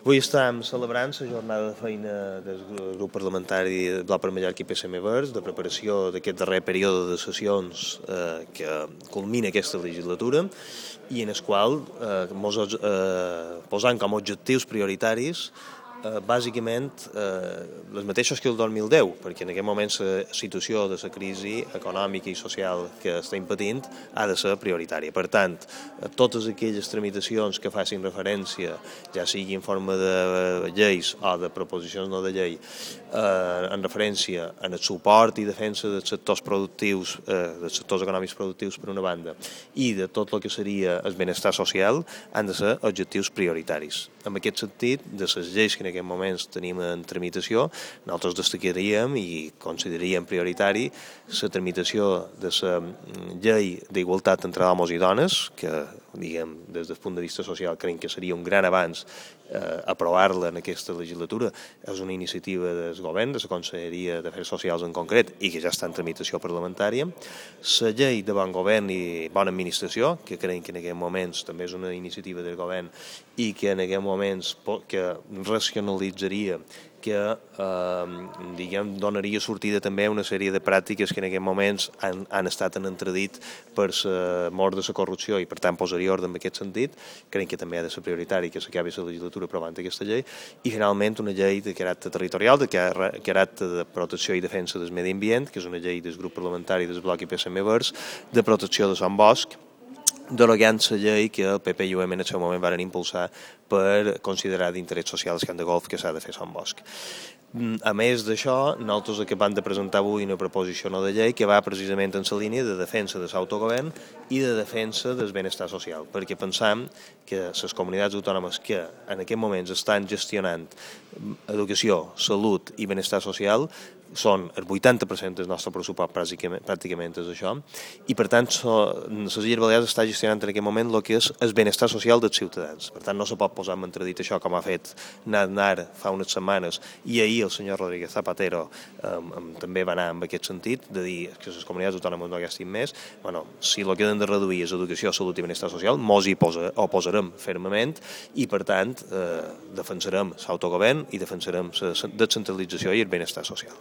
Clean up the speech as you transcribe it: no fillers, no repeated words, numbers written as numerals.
Avui estem celebrant la jornada de feina del grup parlamentari Bloc per Mallorca i PSM Verds, de preparació d'aquest darrer període de sessions que culmina aquesta legislatura i en el qual posant com a objectius prioritaris bàsicament les mateixes que el 2010, perquè en aquest moment la situació de la crisi econòmica i social que estem patint ha de ser prioritària. Per tant, totes aquelles tramitacions que facin referència, ja sigui en forma de lleis o de proposicions no de llei, en referència en el suport i defensa dels sectors productius, dels sectors econòmics productius per una banda, i de tot el que seria el benestar social, han de ser objectius prioritaris. En aquest sentit, de les lleis que en aquests moments tenim en tramitació, nosaltres destacaríem i consideraríem prioritari la tramitació de la llei d'igualtat entre homes i dones, que, diguem, des del punt de vista social, creiem que seria un gran avanç aprovar-la en aquesta legislatura. És una iniciativa del govern, de la Conselleria d'Afers Socials en concret, i que ja està en tramitació parlamentària. La llei de bon govern i bona administració, que creiem que en aquests moments també és una iniciativa del govern i que en aquests moments que racionalitzaria, que donaria sortida també a una sèrie de pràctiques que en aquests moments han estat en entredit per la mort de la corrupció i per tant posaria ordre en aquest sentit. Creiem que també ha de ser prioritari que s'acabi la legislatura aprovant aquesta llei i finalment una llei de caràcter territorial, de caràcter de protecció i defensa del medi ambient, que és una llei del grup parlamentari del Bloc i PSM Verds, de protecció de Sant Bosc, derogant la llei que el PP i UM en el seu moment van impulsar per considerar d'interès social el camp de golf que s'ha de fer a Sant Bosc. A més d'això, nosaltres acabem de presentar avui una proposició no de llei que va precisament en la línia de defensa de l'autogovern i de defensa del benestar social, perquè pensam que les comunitats autònomes que en aquests moments estan gestionant educació, salut i benestar social són el 80% del nostre pressupost pràcticament és això, i per tant les Illes Balears està gestionant en aquest moment el que és el benestar social dels ciutadans. Per tant no se pot posar en entredit això com ha fet Aznar fa unes setmanes i ahir el senyor Rodríguez Zapatero també va anar en aquest sentit, de dir que les comunitats autònomes no gastin més. Si el que hem de reduir és educació, salut i benestar social, mos hi oposarem fermament i per tant defensarem l'autogovern i defensarem la descentralització i el benestar social.